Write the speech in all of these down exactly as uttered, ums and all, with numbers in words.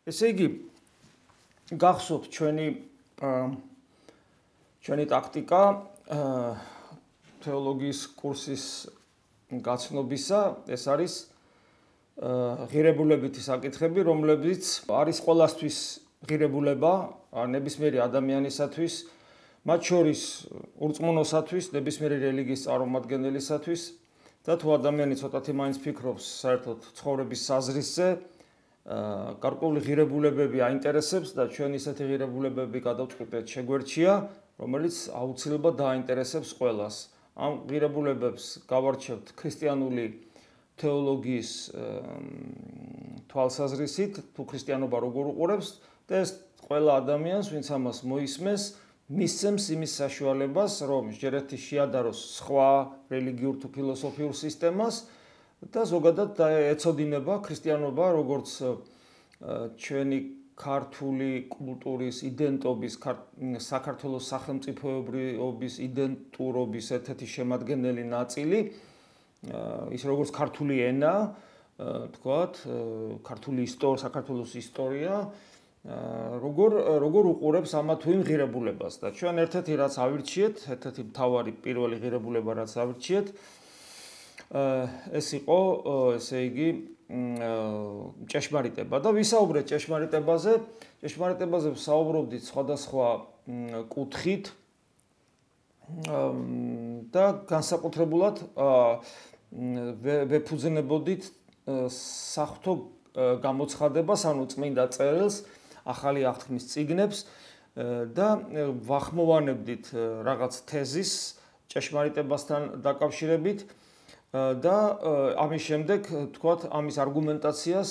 ესე იგი, გახსოვთ ჩვენი ჩვენი ტაქტიკა თეოლოგიის კურსის გაცნობისა, ეს არის ღირებულებითი საკითხები, რომლებიც არის ყველასთვის ღირებულება, ნებისმიერი ადამიანისათვის, მათ შორის ურწმუნოსათვის, ნებისმიერი რელიგიის წარმომადგენელისათვის და თუ ადამიანი ცოტათი მაინც ფიქრობს საერთოდ ცხოვრების საზრისზე, გარკვეული ღირებულებები აინტერესებს და ჩვენ ისეთი ღირებულებები გადავწყვიტეთ შეგვერჩია, რომელიც აუცილებლად დააინტერესებს ყველას. ამ ღირებულებებს გავარჩევთ ქრისტიანული თეოლოგიის თვალსაზრისით, თუ ქრისტიანობა როგორ უყურებს და ეს ყველა ადამიანს, ვინც ამას მოისმენს, მისცემს იმის საშუალებას, რომ ჯერეთი შეადაროს სხვა რელიგიურ თუ ფილოსოფიურ სისტემას და ზოგადად ეცოდინება ქრისტიანობა, როგორც ჩვენი ქართული კულტურის იდენტობის, საქართველოს სახელმწიფოებრიობის იდენტურობის ერთ-ერთი შემადგენელი ნაწილი, ის როგორც ქართული ენა, თქვათ, ქართული ისტორია, საქართველოს ისტორია, როგორ როგორ უყურებს ამა თუ იმ ღირებულებას და ჩვენ ერთ-ერთი რაც ავირჩიეთ, ერთ-ერთი მთავარი პირველი ღირებულება რაც ავირჩიეთ, ეს იყო, ესე იგი, ჭეშმარიტება და ვისაუბრეთ ჭეშმარიტებაზე, ჭეშმარიტებაზე ვსაუბრობდით სხვადასხვა კუთხით და განსაკუთრებულად ვეფუძნებოდით საღვთო გამოცხადებას, ანუ წმინდა წერილს, ახალი აღთქმის წიგნებს და ვახმოვანებდით რაღაც თეზის ჭეშმარიტებასთან დაკავშირებით და ამის შემდეგ, თქვათ, ამის არგუმენტაციას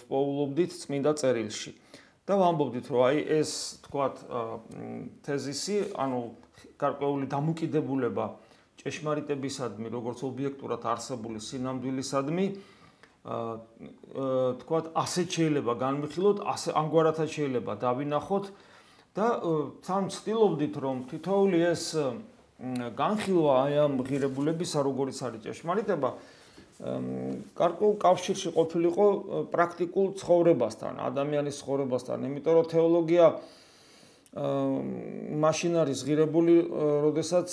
ვპოულობდით წმინდა წერილში. და ვამბობდით, რომ აი ეს, თქვათ, თეზისი, ანუ გარკვეული დამოკიდებულება ჭეშმარიტებისადმი, როგორც ობიექტურად არსებული სინამდვილისადმი, თქვათ, ასეთ შეიძლება განვიხილოთ, ასე ამგვარათაც შეიძლება დავინახოთ და თან ვცდილობდით, რომ თითოეული ეს განხილვა აი ამ ღირებულებისა, როგორც არის ჭეშმარიტება, გარკვეულ კავშირში ყოფილიყო პრაქტიკულ ცხოვრებასთან, ადამიანის ცხოვრებასთან, იმიტომ რომ თეოლოგია მაშინ არის ღირებული, როდესაც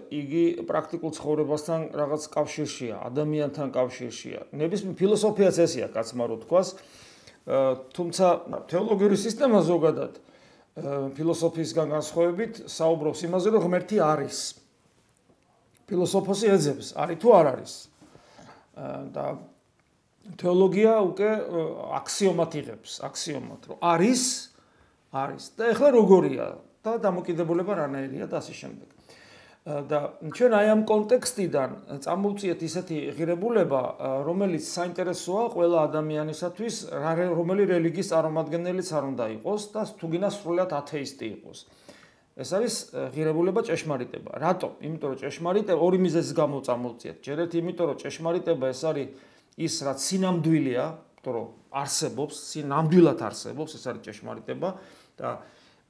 იგი პრაქტიკულ ცხოვრებასთან რაღაც კავშირშია, ადამიანთან კავშირშია. ნებისმიერ ფილოსოფიაც ესეა, კაცმარო თქვას, თუმცა თეოლოგიური სისტემა ზოგადად ფილოსოფიისგან განსხვავებით საუბრობს იმაზე, რომ ღმერთი არის. ფილოსოფოსი ეძებს, არის თუ არ არის. და თეოლოგია უკვე აქსიომად იღებს, აქსიომად, რომ არის, არის და ეხლა როგორია და დამოკიდებულება რანაირია და ასე შემდეგ. და ჩვენ აი ამ კონტექსტიდან წამოვწიეთ ისეთი ღირებულება, რომელიც საინტერესოა ყველა ადამიანისათვის, რომელი რელიგიის წარმომადგენელიც არ უნდა იყოს და თუგინა სრულად ათეისტი იყოს. ეს არის ღირებულება ჭეშმარიტება. რატო? იმიტომ რომ ჭეშმარიტება ორი მიზეზის გამო წამოვწიეთ. ჯერეთ იმიტომ რომ ჭეშმარიტება ეს არის ის რაც სინამდვილეა, იმიტომ რომ არსებობს, სინამდვილად არსებობს, ეს არის ჭეშმარიტება და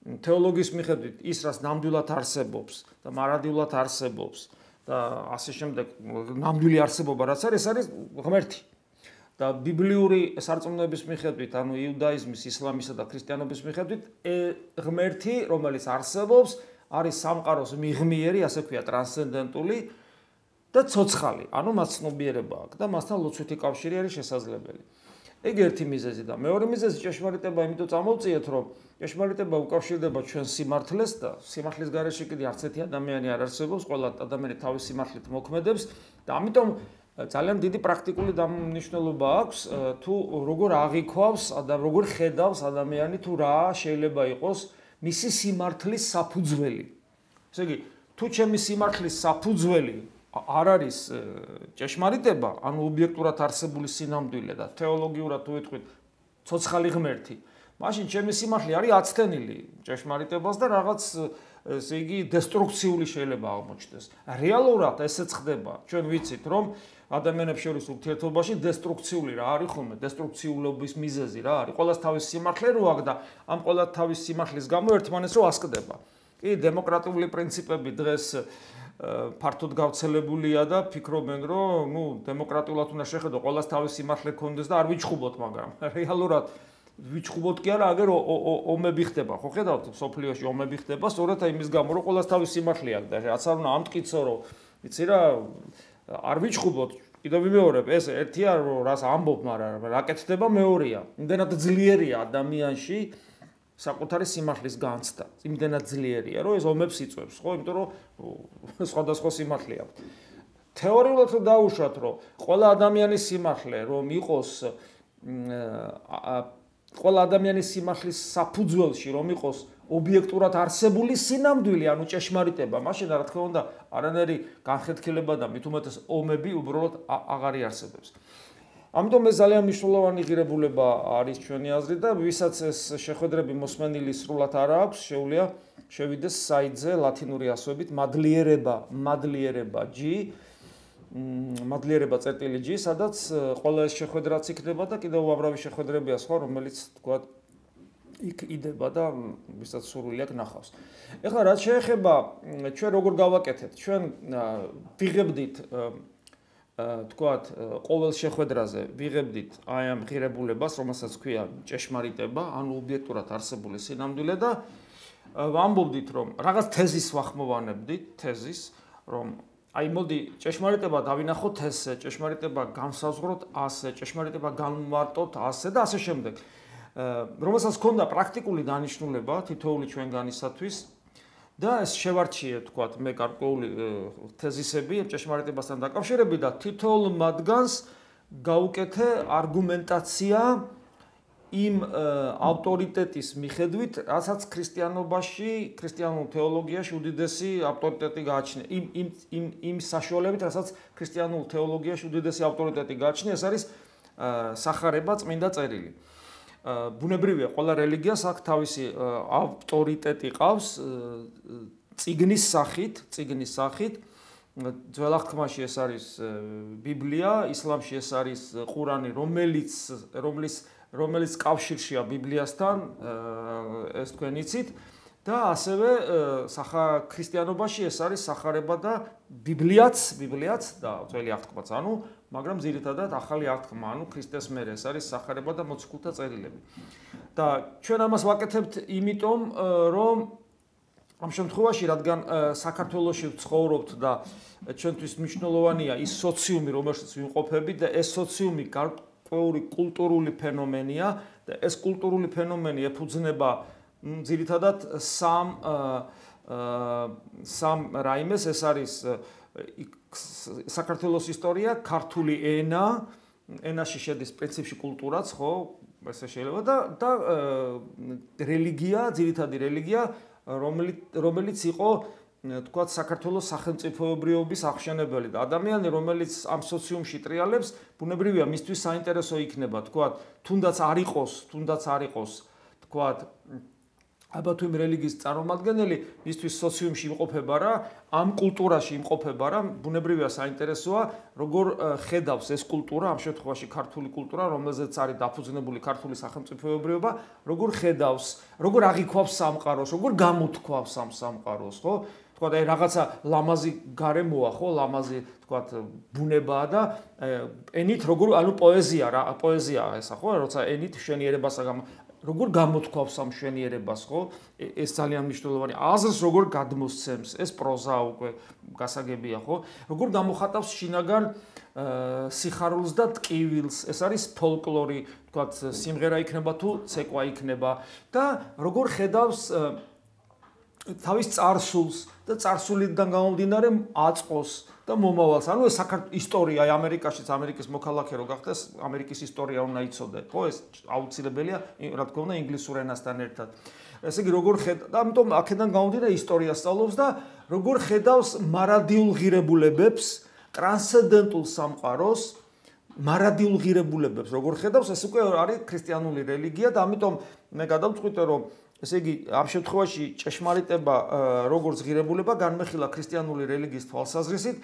თეოლოგიის მიხედვით ის რაც ნამდვილად არსებობს და მარადიულად არსებობს და ასე შემდეგ ნამდვილი არსებობა რაც არის, ეს არის ღმერთი. და ბიბლიური სარწმუნოების მიხედვით, ანუ იუდაიზმის, ისლამისა და ქრისტიანობის მიხედვით, ღმერთი, რომელიც არსებობს, არის სამყაროს მიღმიერი, ასე ქვია, ტრანსცენდენტული და ცოცხალი, ანუ მას ცნობიერება აქვს და მასთან ლოცვითი კავშირი არის შესაძლებელი. ეგ ერთი მიზეზი და მეორე მიზეზი ჭეშმარიტება, იმიტომ წამოვწიეთ, რომ ჭეშმარიტება უკავშირდება ჩვენ სიმართლეს და სიმართლის გარეშე კიდე არც ერთი ადამიანი არ არსებობს, ყველა ადამიანი თავის სიმართლით მოქმედებს და ამიტომ ძალიან დიდი პრაქტიკული დამნიშნულობა აქვს თუ როგორ აღიქვავს და როგორ ხედავს ადამიანი თუ რა შეიძლება იყოს მისი სიმართლის საფუძველი. ესე იგი, თუ ჩემი სიმართლის საფუძველი არ არის ჭეშმარიტება, ანუ ობიექტურად არსებული სინამდვილე და თეოლოგიურად თუ ვიტყვით ცოცხალი ღმერთი, მაშინ ჩემი სიმართლე არის აცდენილი ჭეშმარიტებას და რაღაც ესე იგი დესტრუქციული შეიძლება აღმოჩნდეს. რეალურად ესეც ხდება. ჩვენ ვიცით, რომ ადამიანებს შორის ურთიერთობაში დესტრუქციული რა არის ხოლმე, დესტრუქციულობის მიზეზი რა არის. ყველას თავის სიმართლე რო აქვს და ამ ყველა თავის სიმართლის გამო ერთმანეთს რო ასკდება. კი, დემოკრატიული პრინციპები დღეს ფართოდ გავრცელებულია და ფიქრობენ, რომ ნუ დემოკრატიულად უნდა შეხედო, ყველას თავის სიმართლე ქონდეს და არ ვიჩხუბოთ, მაგრამ რეალურად ვიჩხუბოთ კი არა, აგერ ომები ხდება, ხო ხედავთ, სოფლიოში ომები ხდება, სწორედ იმის გამო, რომ ყოველას თავის სიმართლე აქვს და რაც არ უნდა ამტკიცო, რომ იცი რა, არ ვიჩხუბოთ. კიდევ ვიმეორებ, ეს ერთია, რომ რას ამბობ, მაგრამ რა კეთდება მეორეა. იმდენად ძლიერია ადამიანში საკუთარი სიმართლის განცდა. იმდენად ძლიერია, რომ ეს ომებს იწვევს, ხო? იმიტომ რომ სხვადასხვა სიმართლე აქვს. თეორიულად რომ დაუშვათ, რომ ყველა ადამიანის სიმართლე რომ იყოს ყველა ადამიანის სიმართლის საფუძველში რომ იყოს ობიექტურად არსებული სინამდვილე, ანუ ჭეშმარიტება, მაშინ რა თქმა უნდა, არანაირი განხეთქილება და მით უმეტეს ომები უბრალოდ აღარ იარსებებს. ამიტომ ეს ძალიან მნიშვნელოვანი ღირებულება არის ჩვენი აზრით და ვისაც ეს შეხვედრები მოსმენილი სრულად არ აქვს, შეუძლია შევიდეს საიტზე ლათინური ასოებით მადლიერება, მადლიერება G მადლიერება წერტილი G, სადაც ყველა ეს შეხვედრაც იქნება და კიდევ უამრავი შეხვედრებია სხვა, რომელიც თქვა იქ იდება და ვისაც სურვილი აქვს ნახავს. ეხლა რაც შეეხება ჩვენ როგორ გავაკეთებთ, ჩვენ ვიღებდით თქვათ ყოველ შეხვედრაზე ვიღებდით აი ამ ღირებულებას, რომელსაც ქვია ჭეშმარიტება, ანუ ობიექტურად არსებული სინამდვილე და ვამბობდით, რომ რაღაც თეზის ვახმოვანებდით, თეზის, რომ აი მოდი ჭეშმარიტება დავინახოთ ესე, ჭეშმარიტება განსაზღვროთ ასე, ჭეშმარიტება განვარტოთ ასე და ასე შემდეგ. რომელსაც ჰქონდა პრაქტიკული დანიშნულება თითოეული ჩვენგანისათვის და ეს შევარჩიე თქვათ მე გარკვეული თეზისები ჭეშმარიტებასთან დაკავშირებით და თითოეულ მათგანს გავუკეთე არგუმენტაცია იმ ავტორიტეტის მიხედვით, რასაც ქრისტიანობაში, ქრისტიანულ თეოლოგიაში უდიდესი ავტორიტეტი გააჩნია. იმ იმ იმ იმ საშუალებით, რასაც ქრისტიანულ თეოლოგიაში უდიდესი ავტორიტეტი გააჩნია, ეს არის სახარება წმინდა წერილი. ბუნებრივია, ყველა რელიგიას აქვს თავისი ავტორიტეტი ყავს წიგნის სახით, წიგნის სახით. ძველ აღთქმაში ეს არის ბიბლია, ისლამში ეს არის ყურანი, რომელიც რომლის რომელიც კავშირშია ბიბლიასთან, ეს თქვენ იცით და ასევე სახა ქრისტიანობაში ეს არის სახარება და ბიბლიაც, ბიბლიაც და ძველი აღთქმაც, ანუ მაგრამ ძირითადად ახალი აღთქმა, ანუ ქრისტეს მერე ეს არის სახარება და მოციქულთა წერილები. და ჩვენ ამას ვაკეთებთ იმიტომ, რომ ამ შემთხვევაში, რადგან საქართველოში ვცხოვრობთ და ჩვენთვის მნიშვნელოვანია ის სოციუმი, რომელშიც ვიმყოფებით და ეს სოციუმი კულტურული ფენომენია და ეს კულტურული ფენომენი ეფუძნება ძირითადად სამ სამ რაიმეს, ეს არის საქართველოს ისტორია, ქართული ენა, ენაში შედის პრინციპში კულტურაც, ხო, ესე შეიძლება და და რელიგია, ძირითადი რელიგია, რომელიც რომელიც იყო თქვათ საქართველოს სახელმწიფოებრიობის აღშენებელი და ადამიანი, რომელიც ამ სოციუმში ტრიალებს, ბუნებრივია მისთვის საინტერესო იქნება, თქვათ, თუნდაც არ იყოს, თუნდაც არ იყოს, თქვათ, აბა თუ იმ რელიგიის წარმომადგენელი, მისთვის სოციუმში იმყოფება რა, ამ კულტურაში იმყოფება რა, ბუნებრივია საინტერესოა, როგორ ხედავს ეს კულტურა, ამ შემთხვევაში ქართული კულტურა, რომელზეც არის დაფუძნებული ქართული სახელმწიფოებრიობა, როგორ ხედავს, როგორ აღიქვავს სამყაროს, როგორ გამოთქვავს ამ სამყაროს, ხო? თქვათ, აი რაღაცა ლამაზი გარემოა, ხო, ლამაზი, თქვათ, ბუნებაა და ენით როგორ, ანუ პოეზია რა, პოეზიაა ესა, ხო, როცა ენით მშვენიერებას როგორ გამოთქვავს ამ მშვენიერებას, ხო? ეს ძალიან მნიშვნელოვანია. აზრს როგორ გადმოსცემს, ეს პროზა უკვე გასაგებია, ხო? როგორ გამოხატავს შინაგან სიხარულს და ტკივილს, ეს არის ფოლკლორი, თქვათ, სიმღერა იქნება თუ ცეკვა იქნება და როგორ ხედავს თავის წარსულს და წარსულიდან გამომდინარე აწყოს და მომავალს. ანუ ეს საქართველოს ისტორია, აი ამერიკაშიც ამერიკის მოქალაქე რო გახდეს, ამერიკის ისტორია უნდა იცოდე, ხო, ეს აუცილებელია, რა თქმა უნდა, ინგლისურ ენასთან ერთად. ესე იგი, როგორ ხედავს და ამიტომ აქედან გამომდინარე ისტორია სწავლობს და როგორ ხედავს მარადიულ ღირებულებებს, ტრანსცენდენტულ სამყაროს, მარადიულ ღირებულებებს, როგორ ხედავს, ეს უკვე არის ქრისტიანული რელიგია და ამიტომ მე გადავწყვიტე, რომ ესე იგი, ამ შემთხვევაში ჭეშმარიტება როგორც ღირებულება განმეხილა ქრისტიანული რელიგიის თვალსაზრისით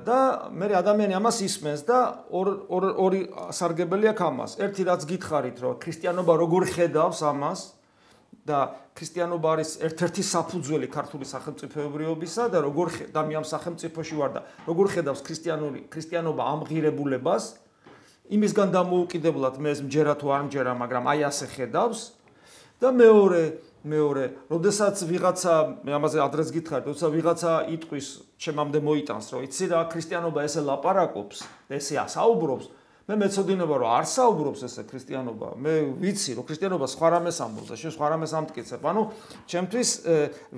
და მე ადამიანი ამას ისმენს და ორი სარგებელი აქვს ამას. ერთი რაც გითხარით, რომ ქრისტიანობა როგორ ხედავს ამას და ქრისტიანობა არის ერთ-ერთი საფუძველი ქართული სახელმწიფოებრიობისა და როგორ და მე ამ სახელმწიფოში ვარ და როგორ ხედავს ქრისტიანული ქრისტიანობა ამ ღირებულებას იმისგან დამოუკიდებლად მე ეს მჯერა თუ არ მჯერა, მაგრამ აი ასე ხედავს და მეორე მეორე, როდესაც ვიღაცა, მე ამაზე ადრეს გითხარით, როდესაც ვიღაცა იტყვის ჩემამდე მოიტანს, რომ იცი რა, ქრისტიანობა ესე ლაპარაკობს, ესე ასაუბრობს, მე მეცოდინება რომ არ საუბრობს ესე ქრისტიანობა, მე ვიცი რომ ქრისტიანობა სხვა რამეს ამბობს და შენ სხვა რამეს ამტკიცებ. ანუ ჩემთვის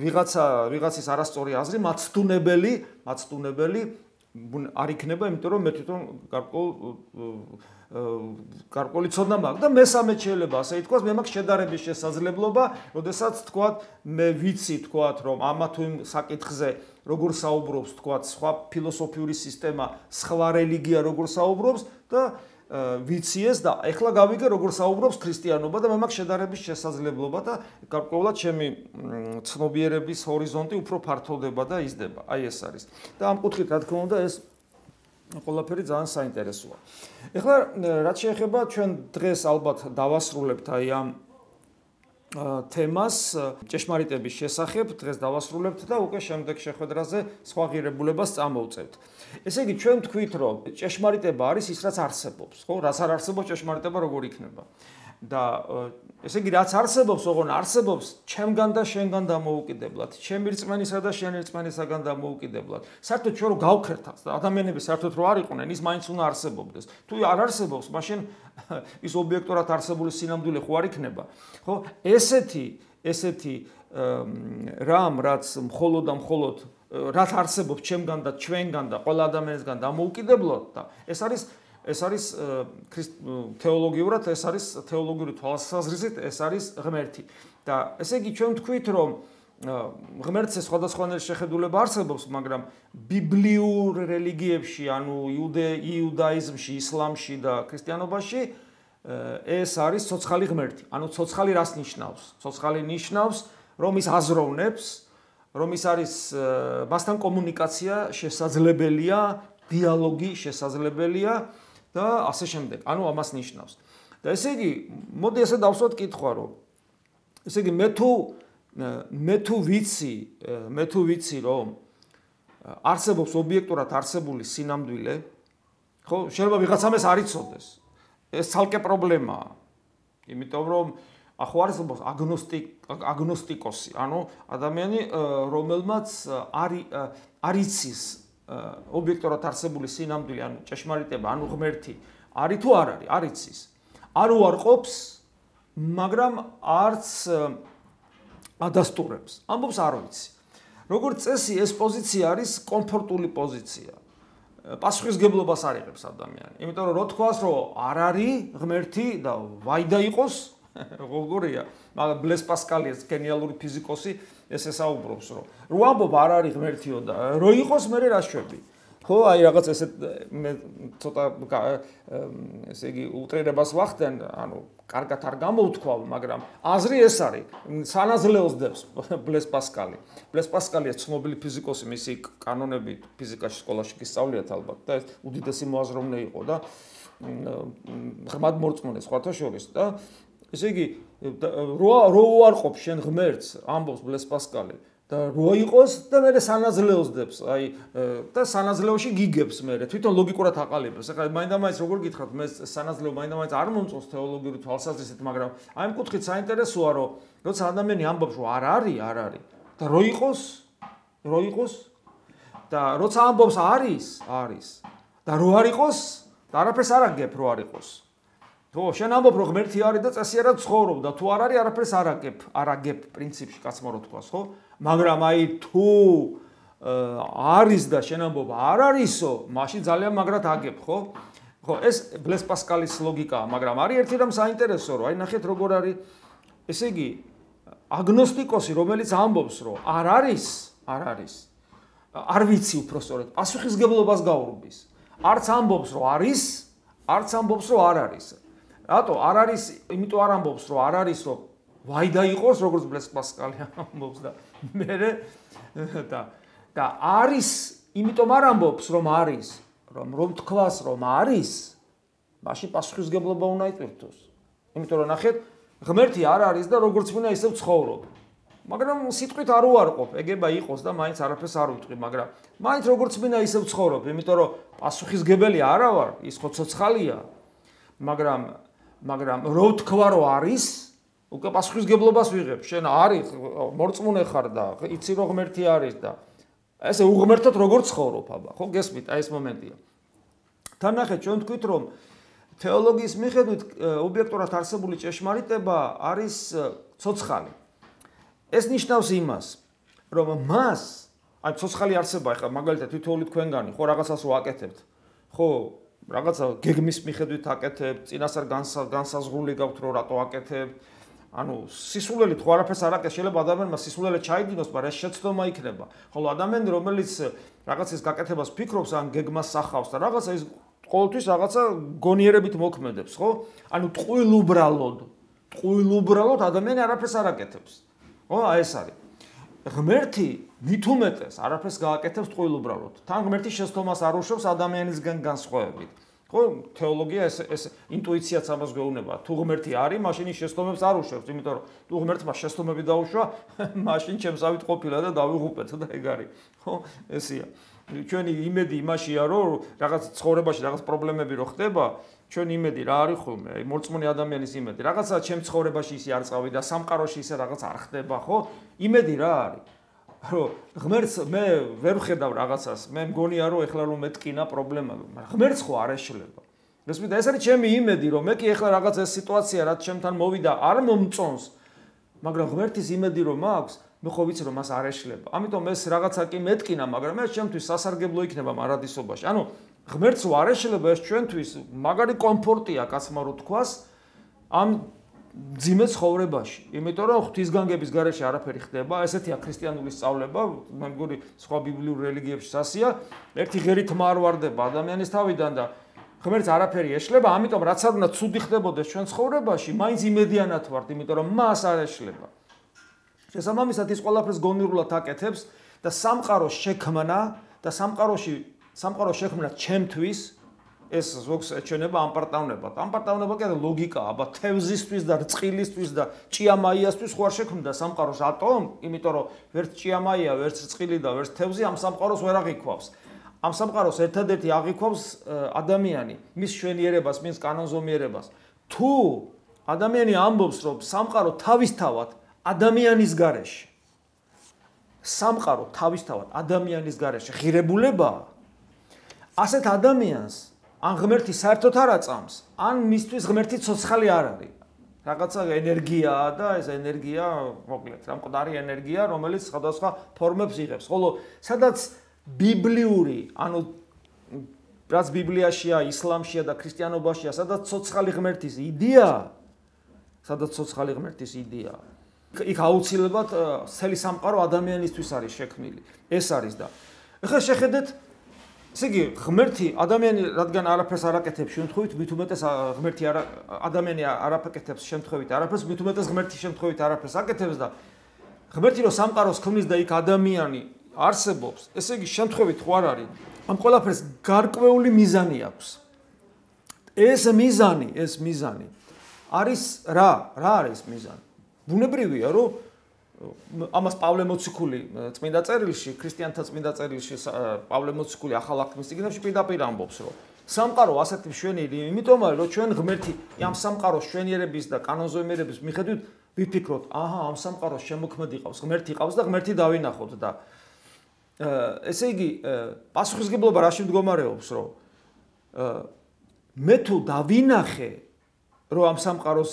ვიღაცა ვიღაცის არასწორი აზრი მაცდუნებელი, მაცდუნებელი არ იქნება, იმიტომ რომ მე თვითონ გარკვეულ გარკვეული ცოდნა მაქვს და მესამე შეიძლება ასე ითქვას, მე მაქვს შედარების შესაძლებლობა, როდესაც თქვათ მე ვიცი თქვათ რომ ამა თუ იმ საკითხზე როგორ საუბრობს თქვათ სხვა ფილოსოფიური სისტემა, სხვა რელიგია როგორ საუბრობს და ვიცი ეს და ეხლა გავიგე როგორ საუბრობს ქრისტიანობა და მე მაქვს შედარების შესაძლებლობა და გარკვეულად ჩემი ცნობიერების ჰორიზონტი უფრო ფართოვდება და იზრდება. აი ეს არის. და ამ კუთხით რა თქმა უნდა ეს ყველაფერი ძალიან საინტერესოა. ეხლა რაც შეეხება ჩვენ დღეს ალბათ დავასრულებთ აი ამ თემას ჭეშმარიტების შესახებ, დღეს დავასრულებთ და უკვე შემდეგ შეხვედრაზე სხვა ღირებულებას წამოვწევთ. ესე იგი ჩვენ თქვით რომ ჭეშმარიტება არის ის რაც არსებობს, ხო? რაც არ არსებობს ჭეშმარიტება როგორ იქნება? და ესე იგი რაც არსებობს, ოღონ არსებობს ჩემგან და შენგან დამოუკიდებლად, ჩემი რწმენისა და შენი რწმენისაგან დამოუკიდებლად. საერთოდ ჩვენ რო გავხერთ და ადამიანები საერთოდ რო არ იყვნენ, ის მაინც უნდა არსებობდეს. თუ არ არსებობს, მაშინ ის ობიექტურად არსებული სინამდვილე ხო არ იქნება. ხო? ესეთი, ესეთი რამ, რაც მხოლოდ და მხოლოდ რაც არსებობს ჩემგან და ჩვენგან და ყველა ადამიანისგან დამოუკიდებლად და ეს არის ეს არის თეოლოგიურად, ეს არის თეოლოგიური თვალსაზრისით, ეს არის ღმერთი. და ესე იგი ჩვენ თქვით, რომ ღმერთზე სხვადასხვანაირი შეხედულება არსებობს, მაგრამ ბიბლიურ რელიგიებში, ანუ იუდაიზმში, ისლამში და ქრისტიანობაში ეს არის ცოცხალი ღმერთი. ანუ ცოცხალი რას ნიშნავს? ცოცხალი ნიშნავს, რომ ის აზროვნებს, რომ ის არის მასთან კომუნიკაცია შესაძლებელია, დიალოგი შესაძლებელია და ასე შემდეგ. ანუ ამას ნიშნავს. და ესე იგი, მოდი ესე დავსვათ კითხვა, რომ ესე იგი მე თუ მე თუ ვიცი, მე თუ ვიცი, რომ არსებობს ობიექტურად არსებული სინამდვილე, ხო, შეიძლება ვიღაცამ ეს არ იცოდეს. ეს ცალკე პრობლემაა. იმიტომ რომ ახო არსებობს აგნოსტიკ აგნოსტიკოსი, ანუ ადამიანი, რომელმაც არ იცის ობიექტურად არსებული სინამდვილე, ანუ ჭეშმარიტება, ანუ ღმერთი, არის თუ არ არის, არ იცის. არ უარყოფს, მაგრამ არც ადასტურებს. ამბობს არ ვიცი. როგორც წესი, ეს პოზიცია არის კომფორტული პოზიცია. პასუხისგებლობას არ იღებს ადამიანი. იმიტომ რომ რო თქვას, რომ არ არის ღმერთი და ვაიდა იყოს, როგორია, მაგრამ ბლეს პასკალიას გენიალური ფიზიკოსი ეს ესაუბრობს, რომ რო ამბობ არ არის ღმერთიო და რო იყოს, მე რა შვები. ხო, აი რაღაც ესე მე ცოტა ესე იგი უტრირებას ვახდენ, ანუ კარგად არ გამოვთქვა, მაგრამ აზრი ეს არის, სანაზლეოს დებს ბლეს პასკალი. ბლეს პასკალია ცნობილი ფიზიკოსი, მისი კანონები ფიზიკაში სკოლაში გისწავლიათ ალბათ და ეს უდიდესი მოაზროვნე იყო და ღრმად მორწმუნე სხვათა შორის და ესე იგი რო რო უარყოფ შენ ღმერთს, ამბობს ბლეს პასკალი და რო იყოს და მე სანაზლეოს დებს, აი და სანაზლეოში გიგებს მე თვითონ ლოგიკურად აყალიბებს. ეხლა მაინდა-მაინც როგორ გითხრათ, მე სანაზლეო მაინდა-მაინც არ მომწონს თეოლოგიური თვალსაზრისით, მაგრამ აი ამ კუთხით საინტერესოა, რომ როცა ადამიანი ამბობს, რომ არ არის, არ არის და რო იყოს, რო იყოს და როცა ამბობს არის, არის და რო არ იყოს და არაფერს არ აგებ, რო არ იყოს. ხო, შენ ამბობ, რომ ღმერთი არის და წესიერად ცხოვრობ და თუ არ არის, არაფერს არ აგებ, არ აგებ პრინციპში კაცმა რო თქვას, ხო? მაგრამ აი თუ არის და შენ ამბობ არ არისო, მაშინ ძალიან მაგრად აგებ, ხო? ხო, ეს ბლეს პასკალის ლოგიკაა, მაგრამ არის ერთი რამ საინტერესო, რომ აი ნახეთ როგორ არის, ესე იგი, აგნოსტიკოსი, რომელიც ამბობს, რომ არ არის, არ არის. არ ვიცი უпростоრად, პასუხისგებლობას გაურბის. არც ამბობს, რომ არის, არც ამბობს, რომ არ არის. რატო არ არის, იმიტომ არ ამბობს, რომ არ არის, რომ ვაიდა იყოს, როგორც ბლეს პასკალი ამბობს და მე და და არის, იმიტომ არ ამბობს, რომ არის, რომ რომ თქვას, რომ არის, მაშინ პასუხისგებლობა უნდა იტვირთოს. იმიტომ რომ ნახეთ, ღმერთი არ არის და როგორც მინდა ისევ ცხოვრობ. მაგრამ სიტყვით არ უარყოფ, ეგება იყოს და მაინც არაფერს არ ვიტყვი, მაგრამ მაინც როგორც მინდა ისევ ცხოვრობ, იმიტომ რომ პასუხისგებელი არა ვარ, ის ხო ცოცხალია. მაგრამ მაგრამ რო თქვა რომ არის, უკვე პასუხისგებლობას ვიღებ. შენ არის მორწმუნე ხარ და იცი რომ ღმერთი არის და ესე უღმერთოდ როგორ ცხოვრობ აბა, ხო გესმით, აი ეს მომენტია. თან ნახეთ, ჩვენ თქვით რომ თეოლოგიის მიხედვით ობიექტურად არსებული ჭეშმარიტება არის ცოცხალი. ეს ნიშნავს იმას, რომ მას, აი ცოცხალი არსება, ეხლა მაგალითად თითოეული თქვენგანი ხო რაღაცას ვაკეთებთ. ხო, რაღაცა გეგმის მიხედვით აკეთებთ, წინასწარ განსაზღვრული გაქვთ რომ რატო აკეთებთ. ანუ სისულელით ხო არაფერს არ აკეთებს, შეიძლება ადამიანმა სისულელე ჩაიდინოს, მაგრამ ეს შეცდომა იქნება. ხოლო ადამიანი რომელიც რაღაცის გაკეთებას ფიქრობს, ან გეგმას სახავს და რაღაცა ის ყოველთვის რაღაცა გონიერებით მოქმედებს, ხო? ანუ ტყუილუბრალოდ, ტყუილუბრალოდ ადამიანი არაფერს არ აკეთებს. ხო, აი ეს არის. ღმერთი მით უმეტეს არაფერს გააკეთებს ტყუილუბრალოდ. თან ღმერთი შეცდომას არ უშვებს ადამიანისგან განსხვავებით. ხო, თეოლოგია ეს ეს ინტუიციაც ამას გვეუბნება. თუ ღმერთი არის, მაშინ ის შეცდომებს არ უშვებს, იმიტომ რომ თუ ღმერთმა შეცდომები დაუშვა, მაშინ ჩემსავით ყოფილა და დავიღუპეთ და ეგ არის. ხო, ესეა. ჩვენი იმედი იმაშია, რომ რაღაც ცხოვრებაში რაღაც პრობლემები რო ხდება, ჩვენი იმედი რა არის ხოლმე? აი მორწმუნე ადამიანის იმედი. რაღაცა ჩემ ცხოვრებაში ისე არ წავიდა, სამყაროში ისე რაღაც არ ხდება, ხო? იმედი რა არის? რომ ღმერთს მე ვერ ვხედავ რაღაცას, მე მგონია რომ ეხლა რომ მეტკინა პრობლემა, მაგრამ ღმერთს ხო არ ეშლება. გესმით, ეს არის ჩემი იმედი, რომ მე კი ეხლა რაღაც ეს სიტუაცია რაც ჩემთან მოვიდა, არ მომწონს, მაგრამ ღმერთის იმედი რომ მაქვს, მე ხო ვიცი რომ მას არ ეშლება. ამიტომ ეს რაღაცა კი მეტკინა, მაგრამ ეს ჩემთვის სასარგებლო იქნება მარადისობაში. ანუ ღმერთს არ ეშლება, ეს ჩვენთვის მაგარი კომფორტია, კაცმა რო თქვას, ამ ძიმე ცხოვრებაში. იმიტომ რომ ღვთისგანგების გარეშე არაფერი ხდება, ესეთია ქრისტიანული სწავლება, მე მგონი სხვა ბიბლიურ რელიგიებში სასია, ერთი ღერით არ ვარდება ადამიანის თავიდან და ღმერთს არაფერი ეშლება, ამიტომ რაც არ უნდა ცუდი ხდებოდეს ჩვენ ცხოვრებაში, მაინც იმედიანად ვართ, იმიტომ რომ მას არ ეშლება. შესაბამისად ის ყველაფერს გონივრულად აკეთებს და სამყაროს შექმნა და სამყაროში სამყაროს შექმნა ჩემთვის ეს ზოგს ეჩვენება ამპარტავნებად. ამპარტავნება კი არა ლოგიკაა, აბა თევზისთვის და რწყილისთვის და ჭიამაიასთვის ხო არ შექმნდა სამყაროს ატომ, იმიტომ რომ ვერც ჭიამაია, ვერც რწყილი და ვერც თევზი ამ სამყაროს ვერ აღიქვავს. ამ სამყაროს ერთადერთი აღიქვავს ადამიანი, მის შვენიერებას, მის კანონზომიერებას. თუ ადამიანი ამბობს, რომ სამყარო თავისთავად ადამიანის გარეშე, სამყარო თავისთავად ადამიანის გარეშე ღირებულებაა, ასეთ ადამიანს ან ღმერთი საერთოდ არ აწამს, ან მისთვის ღმერთი ცოცხალი არ არის. რაღაცა ენერგიაა და ეს ენერგია, მოკლედ, რა მკვდარი ენერგია, რომელიც სხვადასხვა ფორმებს იღებს. ხოლო სადაც ბიბლიური, ანუ რაც ბიბლიაშია, ისლამშია და ქრისტიანობაშია, სადაც ცოცხალი ღმერთის იდეაა, სადაც ცოცხალი ღმერთის იდეაა. იქ აუცილებლად მთელი სამყარო ადამიანისთვის არის შექმნილი. ეს არის და ეხლა შეხედეთ ესე იგი, ღმერთი ადამიანი რადგან არაფერს არ აკეთებს შემთხვევით, მით უმეტეს ღმერთი არა ადამიანი არ აკეთებს შემთხვევით არაფერს, მით უმეტეს ღმერთი შემთხვევით არაფერს აკეთებს და ღმერთი რო სამყაროს ქმნის და იქ ადამიანი არსებობს, ესე იგი შემთხვევით ხო არ არის. ამ ყველაფერს გარკვეული მიზანი აქვს. ეს მიზანი, ეს მიზანი არის რა? რა არის მიზანი? ბუნებრივია, რომ ამას პავლე მოციქული წმინდა წერილში, ქრისტიანთა წმინდა წერილში პავლე მოციქული ახალ აღთქმის წიგნებში პირდაპირ ამბობს, რომ სამყარო ასეთი მშვენიერი, იმიტომ არის, რომ ჩვენ ღმერთი ამ სამყაროს მშვენიერების და კანონზომიერების მიხედვით ვიფიქროთ, აჰა, ამ სამყაროს შემოქმედი ყავს, ღმერთი ყავს და ღმერთი დავინახოთ და ესე იგი, პასუხისგებლობა რაში მდგომარეობს, რომ მე თუ დავინახე, რომ ამ სამყაროს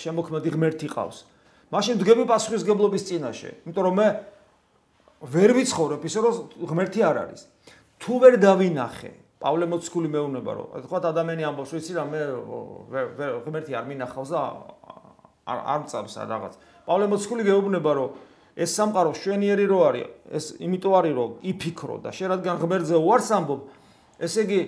შემოქმედი ღმერთი ყავს, მაშინ ვდგები პასუხისგებლობის წინაშე, იმიტომ რომ მე ვერ ვიცხოვრებ ისე რომ ღმერთი არ არის. თუ ვერ დავინახე, პავლე მოციქული მეუბნება რომ თქვა ადამიანი ამბობს, ვიცი რა მე ღმერთი არ მინახავს და არ არ მწამს რაღაც. პავლე მოციქული გეუბნება რომ ეს სამყარო შვენიერი რო არის, ეს იმიტომ არის რომ იფიქრო და შენ რადგან ღმერთზე უარს ამბობ, ესე იგი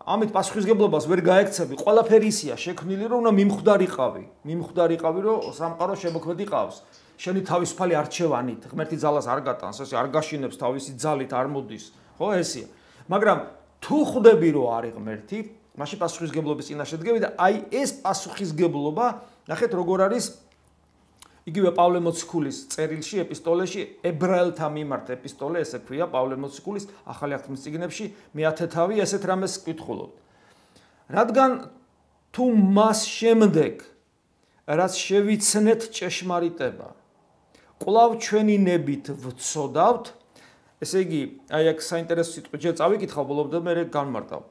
ამით პასუხისგებლობას ვერ გაექცევი, ყველაფერი ისია შექმნილი, რომ უნდა მიმხვდარიყავი, მიმხვდარიყავი, რომ სამყარო შემოქმედი ყავს. შენი თავისუფალი არჩევანით, ღმერთი ძალას არ გატანს, ესე არ გაშინებს თავისი ძალით, არ მოდის, ხო, ესეა. მაგრამ თუ ხვდები, რომ არის ღმერთი, მაშინ პასუხისგებლობის წინაშე დგები და აი ეს პასუხისგებლობა, ნახეთ როგორ არის იგივე პავლე მოციქულის წერილში, ეპისტოლეში, ებრაელთა მიმართ ეპისტოლე, ესე ქვია პავლე მოციქულის ახალი აღთქმის წიგნებში, მეათე თავი ესეთ რამეს ვკითხულობთ. რადგან თუ მას შემდეგ რაც შევიცნეთ ჭეშმარიტება კვლავ ჩვენი ნებით ვცოდავთ ესე იგი აი აქ საინტერესო სიტყვა ჯერ წავიკითხავ ბოლომდე და მე განმარტავ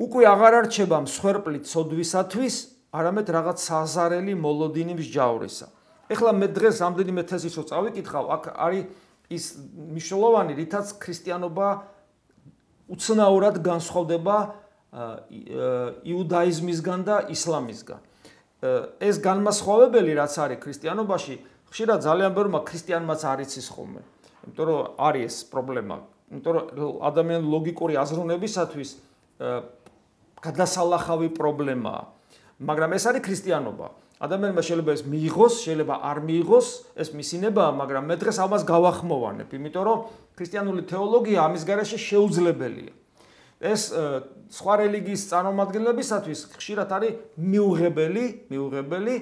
უკვე აღარ არჩება მსხვერპლი ცოდვისათვის არამედ რაღაც საზარელი მოლოდინი მსჯავრისა ეხლა მე დღეს რამდენიმე თეზისს რო წავიკითხავ აქ არის ის მნიშვნელოვანი რითაც ქრისტიანობა უცნაურად განსხვავდება იუდაიზმისგან და ისლამისგან ეს განმასხვავებელი რაც არის ქრისტიანობაში ხშირად ძალიან ბევრმა ქრისტიანმაც არ იცის ხოლმე იმიტომ რომ არის ეს პრობლემა იმიტომ რომ ადამიანის ლოგიკური აზროვნებისათვის გადასალახავი პრობლემაა მაგრამ ეს არის ქრისტიანობა ადამიანმა შეიძლება ეს მიიღოს შეიძლება არ მიიღოს ეს მისინებაა მაგრამ მე დღეს ამას გავახმოვანებ იმიტომ რომ ქრისტიანული თეოლოგია ამის გარეშე შეუძლებელია ეს სხვა რელიგიის წარმომადგენლებისათვის ხშირად არის მიუღებელი მიუღებელი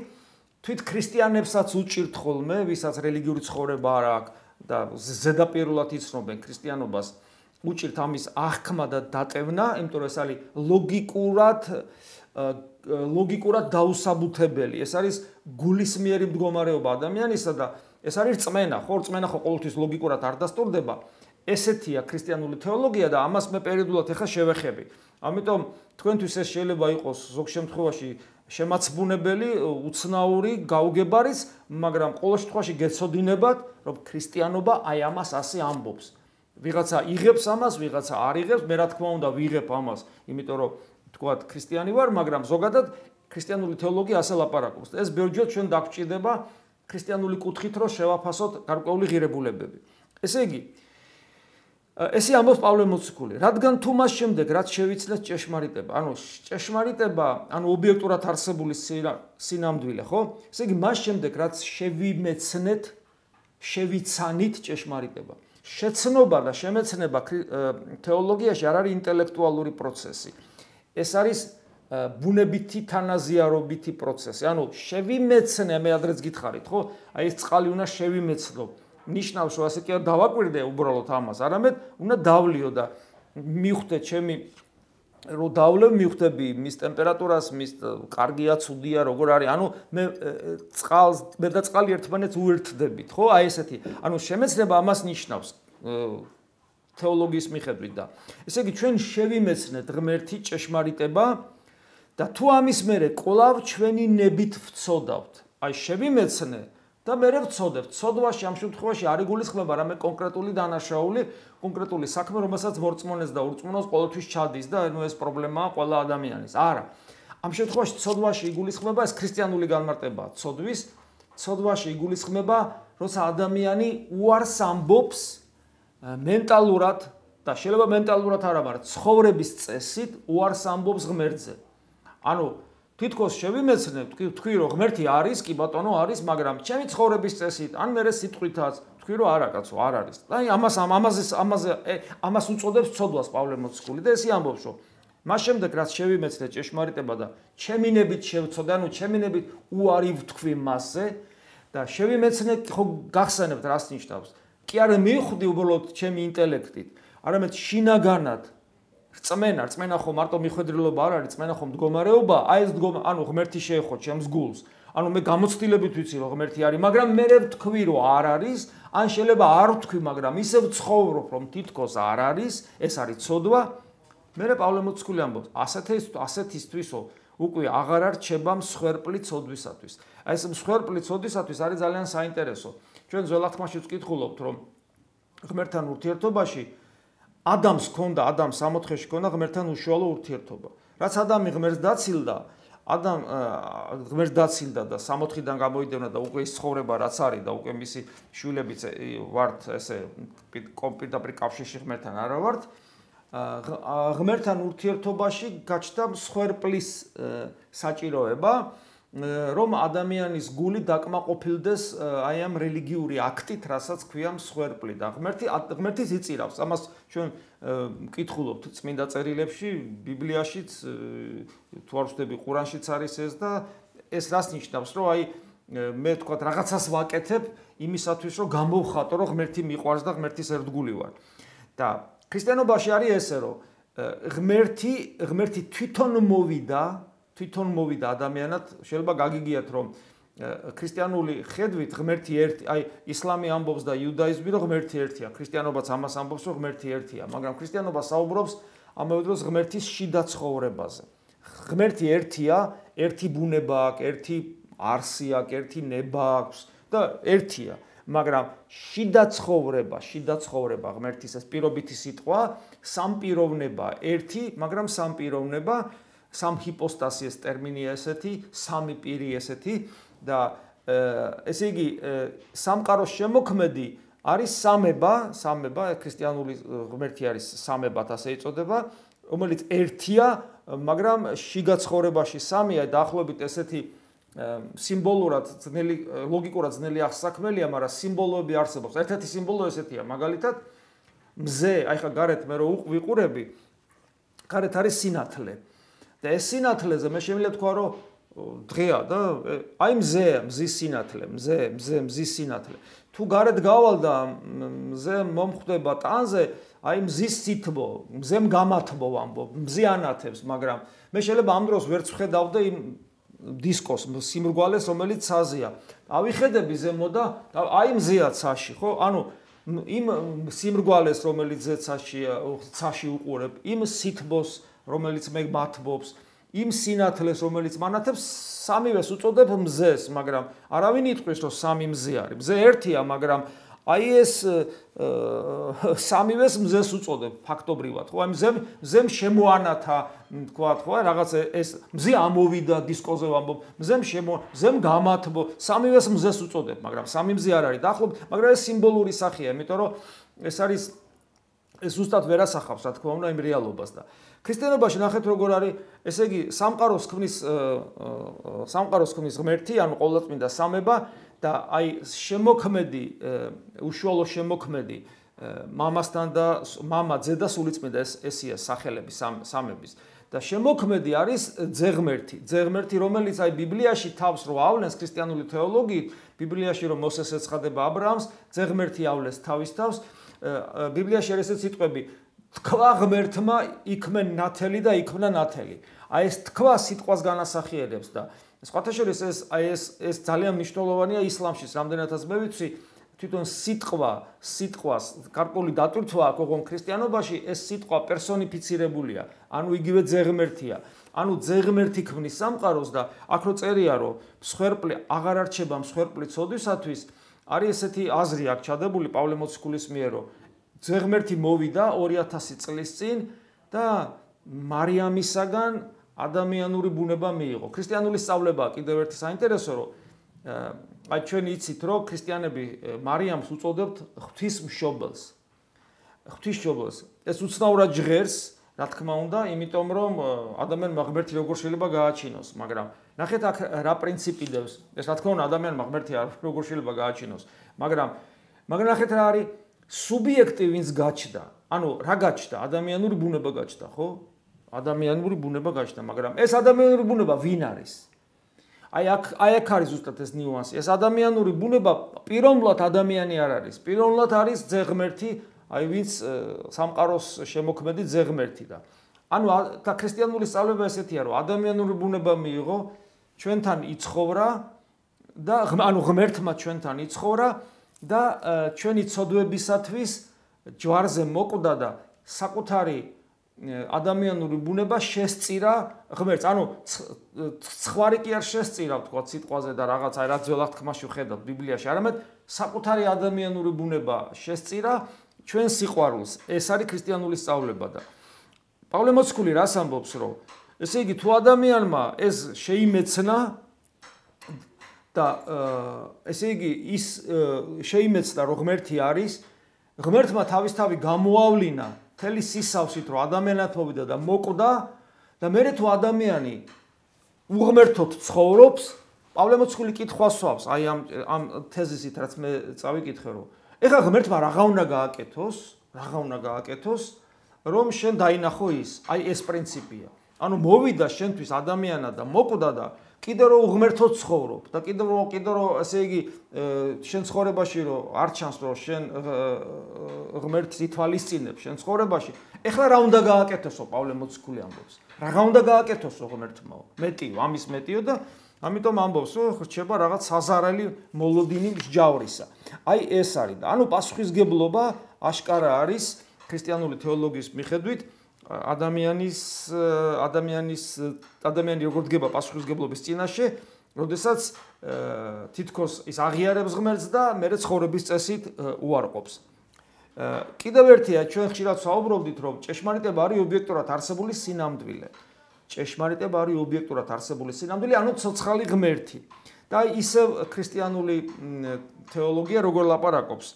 თვით ქრისტიანებსაც უჭირთ ხოლმე ვისაც რელიგიური ცხოვრება არ აქვს და ზედაპირულად იცნობენ ქრისტიანობას უჭირთ ამის აღქმა და დატევნა იმიტომ რომ ეს არის ლოგიკურად ლოგიკურად დაუსაბუთებელი ეს არის გულისმიერი მდგომარეობა ადამიანისა და ეს არის რწმენა ხო რწმენა ხო ყოველთვის ლოგიკურად არ დასტურდება ესეთია ქრისტიანული თეოლოგია და ამას მე პერიოდულად ახლა შევეხები ამიტომ თქვენთვის ეს შეიძლება იყოს ზოგ შემთხვევაში შემაცბუნებელი უცნაური გაუგებარიც მაგრამ ყოველ შემთხვევაში გეცოდინებათ რომ ქრისტიანობა აი ამას ასე ამბობს ვიღაცა იღებს ამას ვიღაცა არ იღებს მე რა თქმა უნდა ვიღებ ამას იმიტომ რომ თქვათ ქრისტიანი ვარ მაგრამ ზოგადად ქრისტიანული თეოლოგია ასე ლაპარაკობს ეს ბევრჯერ ჩვენ დაგვჭირდება ქრისტიანული კუთხით რომ შევაფასოთ გარკვეული ღირებულებები ესე იგი ესე ამბობს პავლე მოციქული რადგან თუ მას შემდეგ რაც შევიცნეთ ჭეშმარიტება ანუ ჭეშმარიტება ანუ ობიექტურად არსებული სინამდვილე ხო ესე იგი მას შემდეგ რაც შევიმეცნეთ შევიცანით ჭეშმარიტება შეცნობა და შემეცნება თეოლოგიაში არ არის ინტელექტუალური პროცესი ეს არის ბუნებითი თანაზიარობითი პროცესი ანუ შევიმეცნე მე ადრეც გითხარით ხო აი ეს წყალი უნდა შევიმეცნო ნიშნავს რომ ასე კი არ დავაკვირდე უბრალოდ ამას არამედ უნდა დავლიო და მივხვდე ჩემი რომ დავლევ მივხვდები მის ტემპერატურას მის კარგია ცუდია როგორ არის ანუ მე წყალს მე და წყალი ერთმანეთს უერთდებით ხო აი ესეთი ანუ შემეცნება ამას ნიშნავს თეოლოგიის მიხედვით და ესე იგი ჩვენ შევიმეცნეთ ღმერთი ჭეშმარიტება და თუ ამის მერე კვლავ ჩვენი ნებით ვცოდავთ აი შევიმეცნე და მე ვცოდებ ცოდვაში ამ შემთხვევაში არ იგულისხმება რამე კონკრეტული დანაშაული კონკრეტული საქმე რომელსაც მორწმუნეს და ურწმუნოს ყოველთვის ჩადის და ნუ ეს პრობლემაა ყველა ადამიანის არა ამ შემთხვევაში ცოდვაში იგულისხმება ეს ქრისტიანული განმარტებაა ცოდვის ცოდვაში იგულისხმება როცა ადამიანი უარს ამბობს მენტალურად და შეიძლება მენტალურად არა მაგრამ ცხოვრების წესით უარს ამბობს ღმერთზე ანუ თითქოს შევიმეცნე თქვი რომ ღმერთი არის კი ბატონო არის მაგრამ ჩემი ცხოვრების წესით ან მე სიტყვითაც თქვი რომ არა კაცო არ არის აი ამას ამაზე ამაზე ამას უწოდებს ცოდვას პავლე მოციქული და ესე ამბობს რომ მას შემდეგ რაც შევიმეცნე ჭეშმარიტება და ჩემი ნებით შევცოდე ანუ ჩემი ნებით უარი ვთქვი მასზე და შევიმეცნე ხო გახსენებთ რას ნიშნავს კი არა მივხვდი უბრალოდ ჩემი ინტელექტით არამედ შინაგანად რწმენა, რწმენა ხო მარტო მიხვედრილობა არ არის, რწმენა ხო მდგომარეობა, აი ეს ანუ ღმერთი შეეხო ჩემს გულს. ანუ მე გამოცდილებით ვიცი რომ ღმერთი არის, მაგრამ მე ვთქვი რომ არ არის, ან შეიძლება არ ვთქვი, მაგრამ ისე ვცხოვრობ რომ თითქოს არ არის, ეს არის ცოდვა. მე პავლე მოციქული ამბობს, ასეთის ასეთისთვისო უკვე აღარ არჩება მსხვერპლი ცოდვისათვის. აი ეს მსხვერპლი ცოდვისათვის არის ძალიან საინტერესო. ჩვენ ძველ აღთქმაში ვკითხულობთ რომ ღმერთთან ურთიერთობაში ადამიანს ჰქონდა, ადამიანს სამოთხეში ჰქონდა ღმერთთან უშუალო ურთიერთობა. რაც ადამი ღმერთს დაცილდა, ადამ ღმერთს დაცილდა და სამოთხიდან გამოიდევნა და უკვე ის ცხოვრება რაც არის და უკვე მისი შვილებიც ვართ ესე პირდაპირ კავშირში ღმერთთან არა ვართ. ღმერთთან ურთიერთობაში გაჩნდა მსხვერპლის საჭიროება, რომ ადამიანის გული დაკმაყოფილდეს აი ამ რელიგიური აქტით, რასაც ქვია მსხვერპლი და ღმერთი ღმერთის იწირავს. ამას ჩვენ მკითხულობთ წმინდა წერილებში, ბიბლიაშიც, თუ არ ვცდები, ყურანშიც არის ეს და ეს რას ნიშნავს, რომ აი მე თქვა რაღაცას ვაკეთებ იმისათვის, რომ გამოვხატო, რომ ღმერთი მიყვარს და ღმერთის ერთგული ვარ. და ქრისტიანობაში არის ესე, რომ ღმერთი ღმერთი თვითონ მოვიდა თვითონ მოვიდა ადამიანად, შეიძლება გაგიგიათ რომ ქრისტიანული ხედვით ღმერთი ერთი, აი ისლამი ამბობს და იუდაიზმი რომ ღმერთი ერთია, ქრისტიანობაც ამას ამბობს რომ ღმერთი ერთია, მაგრამ ქრისტიანობა საუბრობს ამავე დროს ღმერთის შიდა ცხოვრებაზე. ღმერთი ერთია, ერთი ბუნება აქვს, ერთი არსი აქვს, ერთი ნება აქვს და ერთია, მაგრამ შიდა ცხოვრება, შიდა ცხოვრება ღმერთის ეს პირობითი სიტყვა, სამპიროვნება ერთი, მაგრამ სამპიროვნება, სამ ჰიპოსტასი ეს ტერმინია ესეთი, სამი პირი ესეთი და ესე იგი სამყაროს შემოქმედი არის სამება, სამება ქრისტიანული ღმერთი არის სამებად ასე იწოდება, რომელიც ერთია, მაგრამ შიგა ცხოვრებაში სამია, დაახლოებით ესეთი სიმბოლურად ძნელი, ლოგიკურად ძნელი აღსაქმელია, მაგრამ სიმბოლოები არსებობს. ერთ-ერთი სიმბოლო ესეთია, მაგალითად, მზე, აი ხა გარეთ მე რო ვიყურები, გარეთ არის სინათლე. და ეს სინათლეზე მე შემიძლია თქვა, რომ დღეა და აი მზეა, მზის სინათლე, მზე, მზე, მზის სინათლე. თუ გარეთ გავალ და მზე მომხვდება ტანზე, აი მზის სითბო, მზემ გამათბო ამბობ, მზე ანათებს, მაგრამ მე შეიძლება ამ დროს ვერც ვხედავდე იმ დისკოს, სიმრგვალეს, რომელიც ცაზეა. ავიხედები ზემო და აი მზეა ცაში, ხო? ანუ იმ სიმრგვალეს, რომელიც ზეცაშია, ცაში უყურებ, იმ სითბოს, რომელიც მე მათბობს, იმ სინათლეს, რომელიც მანათებს, სამივეს უწოდებ მზეს, მაგრამ არავინ იტყვის, რომ სამი მზე არის. მზე ერთია, მაგრამ აი ეს სამივეს მზეს უწოდებ ფაქტობრივად, ხო? აი მზემ მზემ შემოანათა, თქვათ, ხო? რაღაც ეს მზე ამოვიდა დისკოზე ვამბობ, მზემ შემო, მზემ გამათბო, სამივეს მზეს უწოდებ, მაგრამ სამი მზე არ არის დაახლოებით, მაგრამ ეს სიმბოლური სახეა, იმიტომ რომ ეს არის ეს ზუსტად ვერ ასახავს, რა თქმა უნდა, იმ რეალობას და ქრისტიანობაში ნახეთ როგორ არის, ესე იგი, სამყაროს ქმნის სამყაროს ქმნის ღმერთი, ანუ ყოვლადწმინდა სამება და აი შემოქმედი, უშუალო შემოქმედი მამასთან და მამა, ძე და სულიწმინდა ეს ესია სახელები სამების და შემოქმედი არის ძეღმერთი, ძეღმერთი, რომელიც აი ბიბლიაში თავს რო ავლენს ქრისტიანული თეოლოგიით, ბიბლიაში რომ მოსეს ეცხადება აბრაამს, ძეღმერთი ავლენს თავის თავს, ბიბლიაში არის ეს სიტყვები თქვა ღმერთმა იქმენ ნათელი და იქმნა ნათელი. აი ეს თქვა სიტყვას განასახიერებს და სხვათა შორის ეს აი ეს ეს ძალიან მნიშვნელოვანია ისლამში, რამდენადაც მე ვიცი, თვითონ სიტყვა, სიტყვას გარკვეული დატვირთვა აქვს, ოღონდ ქრისტიანობაში ეს სიტყვა პერსონიფიცირებულია, ანუ იგივე ძეღმერთია. ანუ ძეღმერთი ქმნის სამყაროს და აქ რო წერია, რომ მსხვერპლი აღარ არჩება მსხვერპლი ცოდვისათვის, არის ესეთი აზრი აქ ჩადებული პავლე მოციქულის მიერ, რომ ძეღმერთი მოვიდა ორი ათასი წლის წინ და მარიამისაგან ადამიანური ბუნება მიიღო. ქრისტიანული სწავლებაა კიდევ ერთი საინტერესო, რომ აი ჩვენ იცით, რომ ქრისტიანები მარიამს უწოდებთ ღვთისმშობელს. ღვთისმშობელს. ეს უცნაურად ჟღერს, რა თქმა უნდა, იმიტომ რომ ადამიანმა ღმერთი როგორ შეიძლება გააჩინოს, მაგრამ ნახეთ აქ რა პრინციპი დევს. ეს რა თქმა უნდა ადამიანმა ღმერთი როგორ შეიძლება გააჩინოს, მაგრამ მაგრამ ნახეთ რა არის სუბიექტი ვინც გაჩნდა, ანუ რა გაჩნდა? ადამიანური ბუნება გაჩნდა, ხო? ადამიანური ბუნება გაჩნდა, მაგრამ ეს ადამიანური ბუნება ვინ არის? აი აქ აი აქ არის ზუსტად ეს ნიუანსი. ეს ადამიანური ბუნება პიროვნულად ადამიანი არ არის. პიროვნულად არის ძეღმერთი, აი ვინც სამყაროს შემოქმედი ძეღმერთი და ანუ და ქრისტიანული სწავლება ესეთია, რომ ადამიანური ბუნება მიიღო, ჩვენთან იცხოვრა და ანუ ღმერთმა ჩვენთან იცხოვრა და ჩვენი ცოდვებისათვის ჯვარზე მოკვდა და საკუთარი ადამიანური ბუნება შესწირა ღმერთს. ანუ ცხვარი კი არ შესწირა, თქვა სიტყვაზე და რაღაც აი რა ძველ აღთქმაში ვხედავთ ბიბლიაში, არამედ საკუთარი ადამიანური ბუნება შესწირა ჩვენ სიყვარულს. ეს არის ქრისტიანული სწავლება და პავლე მოციქული რას ამბობს, რომ ესე იგი თუ ადამიანმა ეს შეიმეცნა და ესე იგი ის შეიმეცნა რომ ღმერთი არის, ღმერთმა თავისთავად გამოავლინა მთელი სისავსით რომ ადამიანად მოვიდა და მოკვდა და მერე თუ ადამიანი უღმერთოდ ცხოვრობს, პავლე მოციქული კითხვას სვავს, აი ამ ამ თეზისით რაც მე წავიკითხე, რომ ეხლა ღმერთმა რაღა უნდა გააკეთოს, რაღა უნდა გააკეთოს, რომ შენ დაინახო ის, აი ეს პრინციპია. ანუ მოვიდა შენთვის ადამიანად და მოკვდა და კიდევ რომ უღმერთო ცხოვრობ და კიდევ რომ კიდევ რომ ესე იგი შენ ცხოვრებაში რომ არ ჩანს რომ შენ ღმერთს ითვალისწინებ შენ ცხოვრებაში ეხლა რა უნდა გააკეთოსო პავლე მოციქული ამბობს რა უნდა გააკეთოსო ღმერთმა მეტიო ამის მეტიო და ამიტომ ამბობს რომ რჩება რაღაც საზარელი მოლოდინი მსჯავრისა აი ეს არის და ანუ პასუხისგებლობა აშკარა არის ქრისტიანული თეოლოგიის მიხედვით ადამიანის ადამიანის ადამიანი როგორ დგება პასუხისგებლობის წინაშე, როდესაც თითქოს ის აღიარებს ღმერთს და მერე ცხოვრების წესით უარყოფს. კიდევ ერთია, ჩვენ ხშირად საუბრობდით, რომ ჭეშმარიტება არის ობიექტურად არსებული სინამდვილე. ჭეშმარიტება არის ობიექტურად არსებული სინამდვილე, ანუ ცოცხალი ღმერთი. და ისევ ქრისტიანული თეოლოგია როგორ ლაპარაკობს.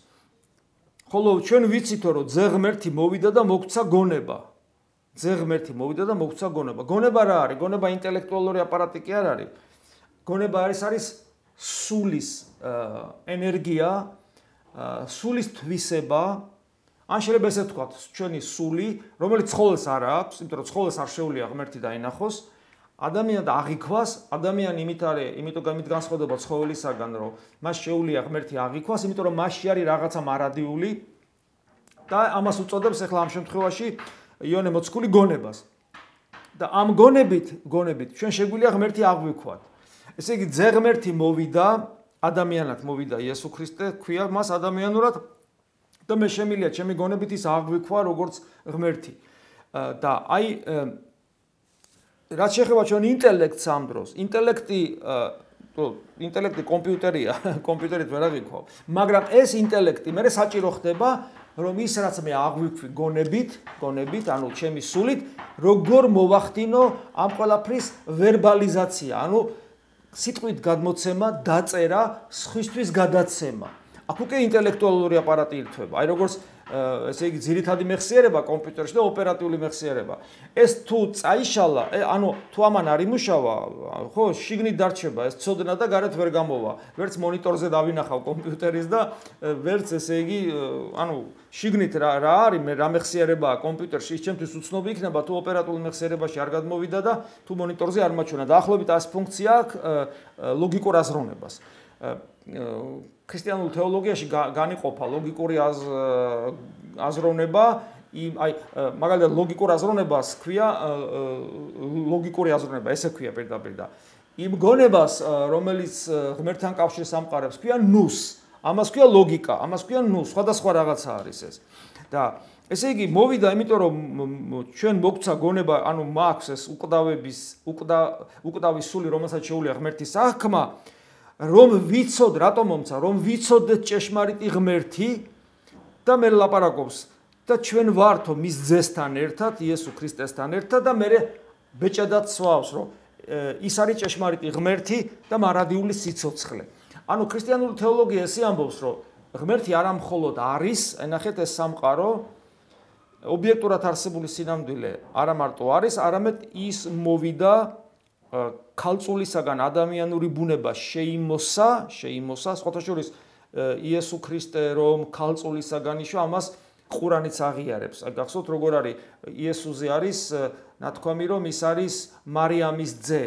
ხოლო ჩვენ ვიცითო, რომ ძე ღმერთი მოვიდა და მოგვცა გონება. ძე ღმერთი მოვიდა და მოგვცა გონება. გონება რა არის? გონება ინტელექტუალური აპარატი კი არ არის. გონება არის არის სულის ენერგია, სულის თვისება, ან შეიძლება ესე ვთქვათ, ჩვენი სული, რომელიც ცხოველს არ აქვს, იმიტომ რომ ცხოველს არ შეუძლია ღმერთი დაინახოს, ადამიანად აღიქვას, ადამიანი იმით არის, იმიტომ გამით განსხვავდება ცხოველისაგან, რომ მას შეუძლია ღმერთი აღიქვას, იმიტომ რომ მასში არის რაღაცა მარადიული და ამას უწოდებს ახლა ამ შემთხვევაში იონე მოციქული გონებას. და ამ გონებით, გონებით ჩვენ შეგვიძლია ღმერთი აღვიქვათ. ესე იგი, ძე ღმერთი მოვიდა, ადამიანად მოვიდა იესო ქრისტე, ქვია მას ადამიანურად და მე შემიძლია ჩემი გონებით ის აღვიქვა როგორც ღმერთი. და აი რაც შეეხება ჩვენ ინტელექტს ამ დროს, ინტელექტი ინტელექტი კომპიუტერია, კომპიუტერით ვერ აღიქვავ, მაგრამ ეს ინტელექტი მე საჭირო ხდება რომ ის რაც მე აღვიქვი გონებით, გონებით, ანუ ჩემი სულით, როგორ მოვახდინო ამ ყველაფრის ვერბალიზაცია, ანუ სიტყვით გადმოცემა, დაწერა, სხვისთვის გადაცემა. აქ უკვე ინტელექტუალური აპარატი ირთვება. აი როგორც ესე იგი ძირითადი მეხსიერება კომპიუტერში და ოპერატიული მეხსიერება. ეს თუ წაიშალა, ანუ თუ ამან არ იმუშავა, ხო, შიგნით დარჩება ეს ცოდნა და გარეთ ვერ გამოვა. ვერც მონიტორზე დავინახავ კომპიუტერის და ვერც ესე იგი, ანუ შიგნით რა რა არის, მე რა მეხსიერებაა კომპიუტერში, ის ჩემთვის უცნობი იქნება თუ ოპერატიული მეხსიერებაში არ გადმოვიდა და თუ მონიტორზე არ მაჩვენა. დაახლოებით ეს ფუნქცია აქვს ლოგიკურ აზროვნებას. ქრისტიანულ თეოლოგიაში განიყოფა ლოგიკური აზროვნება, აი მაგალითად ლოგიკურ აზროვნებას ქვია ლოგიკური აზროვნება, ესე ქვია პირდაპირ და იმ გონებას, რომელიც ღმერთთან კავშირს ამყარებს, ქვია ნუს. ამას ქვია ლოგიკა, ამას ქვია ნუს, სხვადასხვა რაღაცა არის ეს. და ესე იგი მოვიდა, იმიტომ რომ ჩვენ მოგვცა გონება, ანუ მაქვს ეს უკვდავების, უკვდავის სული, რომელსაც შეუძლია ღმერთის აღქმა, რომ ვიცოდ, რატომ მომცა, რომ ვიცოდეთ ჭეშმარიტი ღმერთი და მე ლაპარაკობს და ჩვენ ვართო მის ძესთან ერთად, იესო ქრისტესთან ერთად და მე ბეჭედად სვავს, რომ ის არის ჭეშმარიტი ღმერთი და მარადიული სიცოცხლე. ანუ ქრისტიანული თეოლოგია ესე ამბობს, რომ ღმერთი არა მხოლოდ არის, ენახეთ ეს სამყარო, ობიექტურად არსებული სინამდვილე არა მარტო არის, არამედ ის მოვიდა ქალწულისაგან ადამიანური ბუნება შეიმოსა, შეიმოსა, სხვათა შორის იესო ქრისტე რომ ქალწულისაგან იშვა, ამას ყურანიც აღიარებს. აი გახსოვთ როგორ არის იესოზე არის ნათქვამი რომ ის არის მარიამის ძე,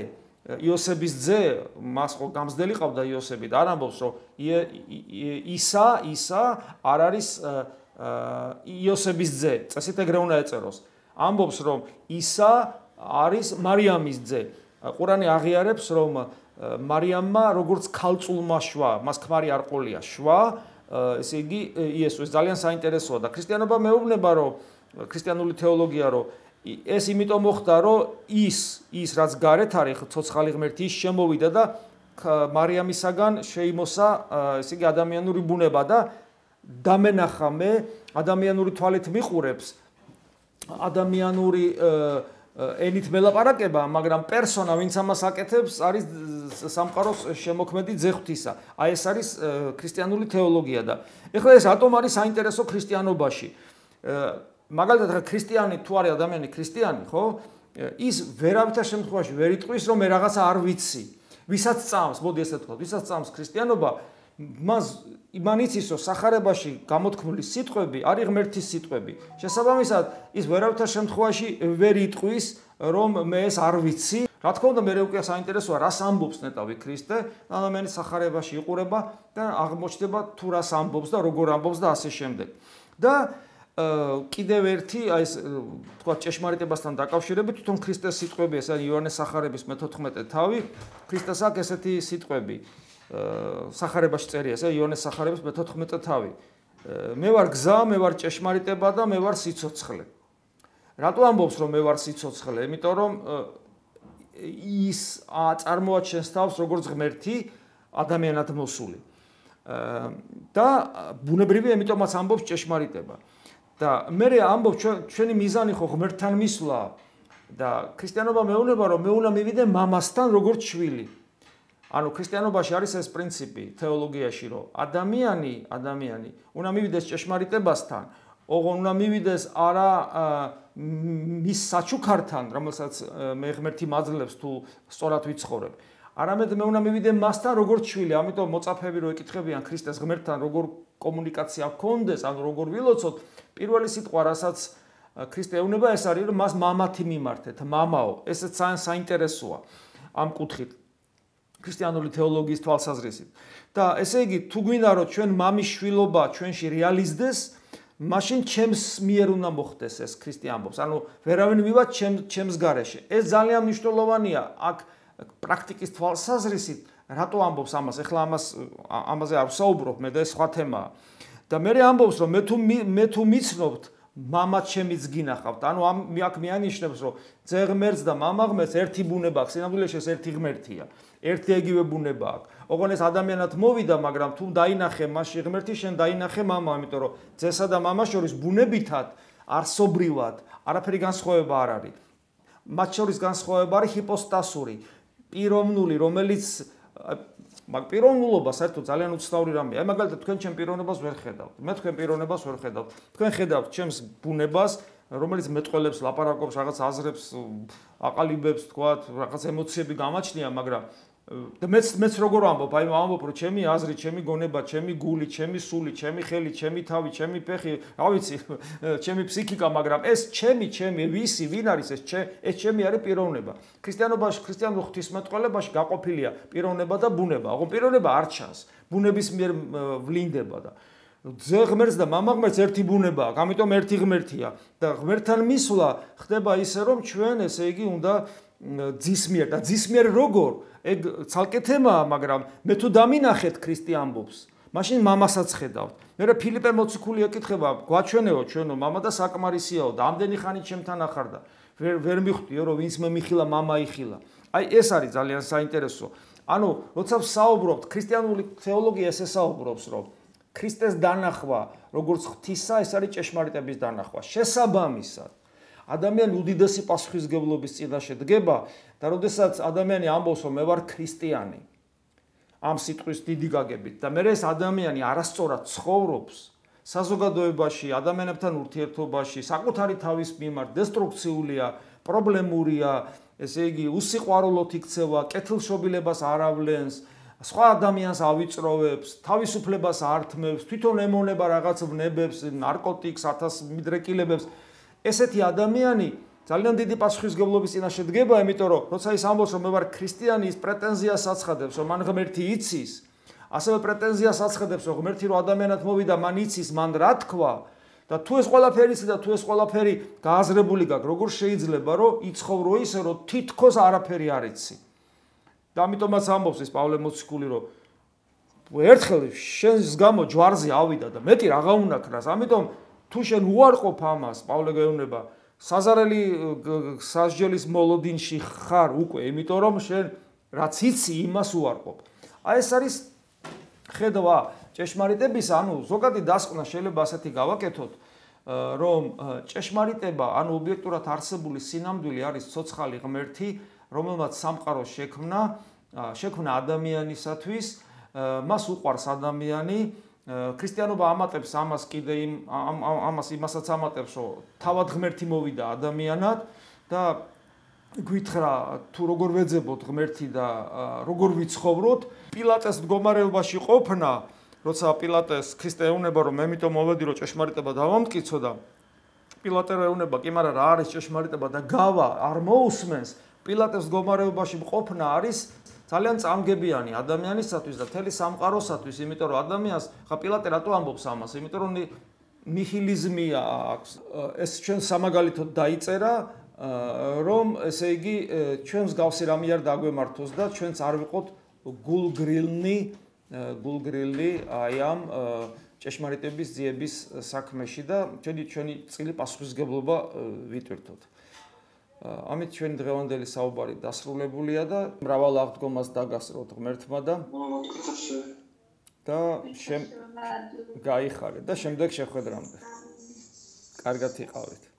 იოსების ძე, მას ხო გამზდელი ყავდა იოსები და არ ამბობს რომ ისა, ისა არ არის იოსების ძე, წესით ეგრე უნდა ეწეროს. ამბობს რომ ისა არის მარიამის ძე. ყურანი აღიარებს რომ მარიამმა როგორც ქალწულმა შვა, მას ქმარი არ ყოლია შვა, ესე იგი იესო ეს ძალიან საინტერესოა და ქრისტიანობა მეუბნება რომ ქრისტიანული თეოლოგია რომ ეს იმიტომ მოხდა რომ ის ის რაც გარეთ არის ცოცხალი ღმერთი ის შემოვიდა და მარიამისაგან შეიმოსა ესე იგი ადამიანური ბუნება და დამენახა მე ადამიანური თვალით მიყურებს ადამიანური ენით მელაპარაკება, მაგრამ პერსონა, ვინც ამას აკეთებს, არის სამყაროს შემოქმედი ძე ღვთისა. აი ეს არის ქრისტიანული თეოლოგია და ეხლა ეს რატომ არის საინტერესო ქრისტიანობაში? მაგალითად, ქრისტიანი თუ არის ადამიანი ქრისტიანი, ხო? ის ვერავითარ შემთხვევაში ვერ იტყვის, რომ მე რაღაცა არ ვიცი. ვისაც წამს, მოდი ესე ვთქვათ, ვისაც წამს ქრისტიანობა, მას იმან იცის, რომ სახარებაში გამოთქმული სიტყვები არის ღმერთის სიტყვები. შესაბამისად, ის ვერავითარ შემთხვევაში ვერ იტყვის, რომ მე ეს არ ვიცი. რა თქმა უნდა, მე უკვე საინტერესოა, რას ამბობს ნეტავი ქრისტე, ადამიანის სახარებაში იყურება და აღმოჩნდება თუ რას ამბობს და როგორ ამბობს და ასე შემდეგ. და კიდევ ერთი, აი ეს თქვა ჭეშმარიტებასთან დაკავშირებით, თვითონ ქრისტეს სიტყვები, ეს არის იოანეს სახარების მეთოთხმეტე თავი, ქრისტეს აქვს ესეთი სიტყვები. სახარებაში წერია, ეს იოანეს სახარების მეთოთხმეტე თავი. მე ვარ გზა, მე ვარ ჭეშმარიტება და მე ვარ სიცოცხლე. რატო ამბობს, რომ მე ვარ სიცოცხლე? იმიტომ რომ ის წარმოაჩენს თავს როგორც ღმერთი ადამიანად მოსული. და ბუნებრივია, ამიტომაც ამბობს ჭეშმარიტება. და მე ამბობს ჩვენი მიზანი ხო ღმერთთან მისვლა და ქრისტიანობა მეუბნება, რომ მე უნდა მივიდე მამასთან როგორც შვილი. ანუ ქრისტიანობაში არის ეს პრინციპი თეოლოგიაში, რომ ადამიანი, ადამიანი უნდა მივიდეს ჭეშმარიტებასთან, ოღონ უნდა მივიდეს არა მის საჩუქართან, რომელსაც მე ღმერთი მაძლევს თუ სწორად ვიცხოვრებ. არამედ მე უნდა მივიდე მასთან როგორც შვილი, ამიტომ მოწაფეები რო ეკითხებიან ქრისტეს ღმერთთან როგორ კომუნიკაცია გქონდეს, ანუ როგორ ვილოცოთ, პირველი სიტყვა, რასაც ქრისტე ეუბნება, ეს არის, რომ მას მამათი მიმართეთ, მამაო. ესეც ძალიან საინტერესოა ამ კუთხით. ქრისტიანული თეოლოგიის თვალსაზრისით. და ესე იგი, თუ გვინდა რომ ჩვენ მამის შვილობა ჩვენში რეალიზდეს, მაშინ ჩემს მიერ უნდა მოხდეს ეს ქრისტე ამბობს. ანუ ვერავინ მივა ჩემს გარეშე. ეს ძალიან მნიშვნელოვანია აქ პრაქტიკის თვალსაზრისით, რატო ამბობს ამას? ეხლა ამას ამაზე არ ვსაუბრობ, მე და ეს სხვა თემაა. და მე ამბობს, რომ მე თუ მე თუ მიცნობთ, მამაც ჩემიც გინახავთ. ანუ ამ აქ მეანიშნებს, რომ ძე ღმერთს და მამა ღმერთს ერთი ბუნება აქვს, სინამდვილეში ეს ერთი ღმერთია. ერთი ეგივე ბუნება აქვს. ოღონ ეს ადამიანად მოვიდა, მაგრამ თუ დაინახე მასში ღმერთი, შენ დაინახე მამა, იმიტომ რომ ძესა და მამას შორის ბუნებითად, არსობრივად, არაფერი განსხვავება არ არის. მათ შორის განსხვავება არის ჰიპოსტასური, პიროვნული, რომელიც მაგ პიროვნულობა საერთოდ ძალიან უცნაური რამეა. აი მაგალითად თქვენ ჩემ პიროვნებას ვერ ხედავთ. მე თქვენ პიროვნებას ვერ ხედავთ. თქვენ ხედავთ ჩემს ბუნებას, რომელიც მეტყველებს, ლაპარაკობს, რაღაც აზრებს, აყალიბებს, თქვათ, რაღაც ემოციები გამაჩნია, მაგრამ და მეც მეც როგორ ამბობ, აი ამბობ, რომ ჩემი აზრი, ჩემი გონება, ჩემი გული, ჩემი სული, ჩემი ხელი, ჩემი თავი, ჩემი ფეხი, რა ვიცი, ჩემი ფსიქიკა, მაგრამ ეს ჩემი, ჩემი, ვისი, ვინ არის ეს ჩემი, ეს ჩემი არის პიროვნება. ქრისტიანობაში, ქრისტიანულ ღვთისმეტყველებაში გაყოფილია პიროვნება და ბუნება. ოღონ პიროვნება არ ჩანს, ბუნების მიერ ვლინდება და ძე ღმერთს და მამა ღმერთს ერთი ბუნება აქვს, ამიტომ ერთი ღმერთია და ღმერთთან მისვლა ხდება ისე, რომ ჩვენ ესე იგი უნდა ძისმიერ და ძისმიერ როგორ ეგ ცალკე თემაა, მაგრამ მე თუ დამინახეთ ქრისტე ამბობს, მაშინ მამასაც ხედავთ. მე რა ფილიპე მოციქული ეკითხება, გვაჩვენეო ჩვენო მამა და საკმარისიაო და ამდენი ხანი ჩემთან ახარდა. ვერ ვერ მიხვდიო, რომ ვინც მე მიხილა, მამა იხილა. აი ეს არის ძალიან საინტერესო. ანუ როცა ვსაუბრობთ, ქრისტიანული თეოლოგია ესე საუბრობს, რომ ქრისტეს დანახვა, როგორც ღვთისა, ეს არის ჭეშმარიტების დანახვა. შესაბამისად, ადამიანი უდიდესი პასუხისმგებლობის წინაშე დგება და როდესაც ადამიანი ამბობს, რომ მე ვარ ქრისტიანი, ამ სიტყვის დიდი გაგებით და მე ეს ადამიანი არასწორად ცხოვრობს საზოგადოებაში, ადამიანებთან ურთიერთობაში, საკუთარი თავის მიმართ დესტრუქციულია, პრობლემურია, ესე იგი, უსიყვარულოდ იქცევა, კეთილშობილებას არ ავლენს, სხვა ადამიანს ავიწროვებს, თავისუფლებას ართმევს, თვითონ ემონება რაღაც ვნებებს, ნარკოტიკს, ათას მიდრეკილებებს. ესეთი ადამიანი ძალიან დიდი პასუხისმგებლობის წინაშე დგება, იმიტომ რომ როცა ის ამბობს, რომ მე ვარ ქრისტიანი, ის პრეტენზიას აცხადებს, რომ მან ღმერთი იცის, ასევე პრეტენზიას აცხადებს, რომ ღმერთი რო ადამიანად მოვიდა, მან იცის, მან რა თქვა და თუ ეს ყველაფერი იცი და თუ ეს ყველაფერი გააზრებული გაქვს, როგორ შეიძლება რომ იცხოვრო ისე, რომ თითქოს არაფერი არ იცი. და ამიტომაც ამბობს ეს პავლე მოციქული, რომ ერთხელ შენს გამო ჯვარზე ავიდა და მეტი რაღა უნაქრას, ამიტომ თუ შენ უარყოფ ამას, პავლე გეუბნება, საზარელი სასჯელის მოლოდინში ხარ უკვე, იმიტომ რომ შენ რაც იცი, იმას უარყოფ. აი ეს არის ხედვა ჭეშმარიტების, ანუ ზოგადი დასკვნა შეიძლება ასეთი გავაკეთოთ, რომ ჭეშმარიტება, ანუ ობიექტურად არსებული სინამდვილე არის ცოცხალი ღმერთი, რომელმაც სამყარო შექმნა, შექმნა ადამიანისათვის, მას უყვარს ადამიანი. ქრისტიანობა ამატებს ამას კიდე იმ ამას იმასაც ამატებს, რომ თავად ღმერთი მოვიდა ადამიანად და გვითხრა თუ როგორ ვეძებოთ ღმერთი და როგორ ვიცხოვროთ, პილატეს მდგომარეობაში ყოფნა, როცა პილატეს ქრისტე ეუნება რომ მე მითო მოვედი რომ ჭეშმარიტება დავამტკიცო და პილატე ეუნება კი მაგრამ რა არის ჭეშმარიტება და გავა არ მოусმენს, პილატეს მდგომარეობაში ყოფნა არის ძალიან წამგებიანი ადამიანისათვის და მთელი სამყაროსათვის, იმიტომ რომ ადამიანს ხა პილატე რატო ამბობს ამას, იმიტომ რომ ნიჰილიზმია აქვს. ეს ჩვენ სამაგალითოდ დაიწერა რომ ესე იგი ჩვენს გავსი რამე არ დაგვემართოს და ჩვენც არ ვიყოთ გულგრილნი გულგრილი აი ამ ჭეშმარიტების ძიების საქმეში და ჩვენი ჩვენი წილი პასუხისგებლობა ვიტვირთოთ. ამით ჩვენი დღევანდელი საუბარი დასრულებულია და მრავალ აღდგომას დაგასროთ ღმერთმა და და შენ გაიხარეთ და შემდეგ შეხვედრამდე. კარგად იყავით.